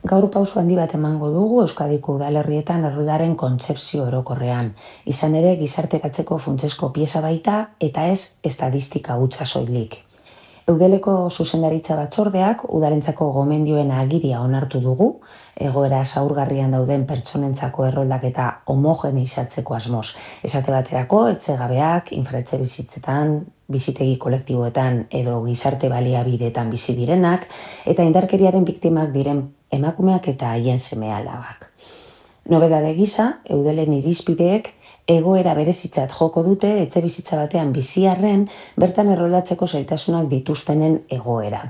Gaur pauso handi bat emango dugu Euskadiko udalerrietan erroldaren kontzepzio orokorrean. Izan ere, gizarteratzeko funtsezko pieza baita eta ez estadistika hutsa soilik. Eudeleko zuzendaritza batzordeak udalentzako gomendioen agiria onartu dugu, egoera zaurgarrian dauden pertsonentzako erroldaketa homogeneizatzeko asmoz. Esate baterako, etxegabeak, infraetxe bizitzetan, bizitegi kolektiboetan edo gizarte baliabideetan bizi direnak, eta indarkeriaren biktimak diren emakumeak eta haien seme-alabak. Nobedade gisa, Eudelen irizpideek egoera berezitzat joko dute etxe bizitza batean biziarren bertan erroldatzeko zailtasunak dituztenen egoera.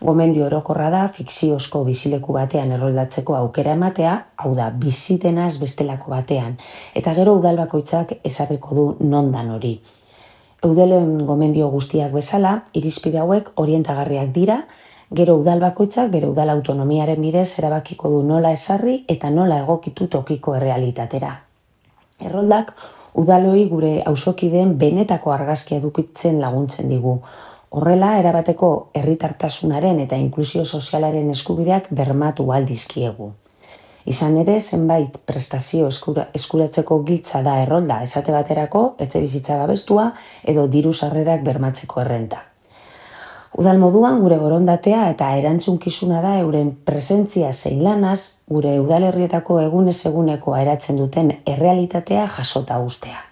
Gomendio orokorra da fikziozko bizileku batean erroldatzeko aukera ematea, hau da bizi denaz bestelako batean, eta gero udal bakoitzak ezarriko du nondan hori. Eudelen gomendio guztiak bezala, irizpide hauek orientagarriak dira, gero udal bakoitzak bere udal autonomiaren bidez erabakiko du nola ezarri eta nola egokitu tokiko errealitatera. Erroldak udaloi gure auzokideen benetako argazkia edukitzen laguntzen digu. Horrela, erabateko herritartasunaren eta inklusio sozialaren eskubideak bermatu ahal dizkiegu. Izan ere, zenbait prestazio eskuratzeko giltza da errolda, esate baterako, etxe bizitza babestua edo diru sarrerak bermatzeko errenta. Udal moduan gure borondatea eta erantzunkizuna da euren presentzia zein lanaz gure udalerrietako egunez egunekoa eratzen duten errealitatea jasota uztea.